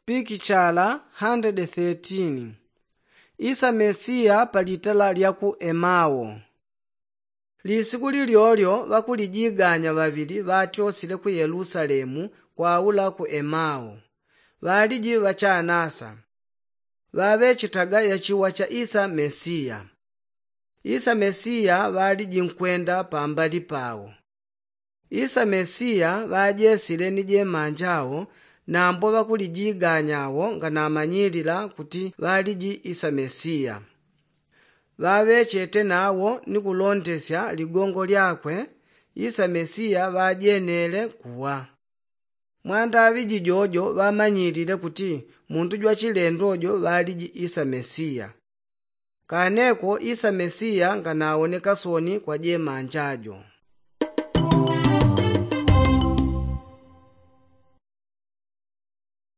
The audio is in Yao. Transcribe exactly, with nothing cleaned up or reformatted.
Pikichala hundred thirteen. Isa mesiya pa litala lya ku emao. Lisiku lilyolyo ŵakulijiganya ŵaŵili ŵatyosile ku yelusalemu kwaula ku emao. Ŵaliji ŵachanasa. Ŵaŵechetaga yachiwa cha isa mesiya. Isa mesiya ŵaliji nkwenda pambali pao. Isa mesiya ŵajesile ni jemanja ao. Nambo ŵakulijiganya ao nganamanyilila kuti ŵaliji isa mesiya. Ŵaŵechete nawo ni kulondesya ligongo lyakwe. Isa mesiya ŵajenele kuwa. Mwandaŵiji jojo ŵamanyilile kuti muntu jwachilendo jo ŵaliji isa mesiya. Kaneko isa mesiya nganawoneka soni kwa jemanja jo.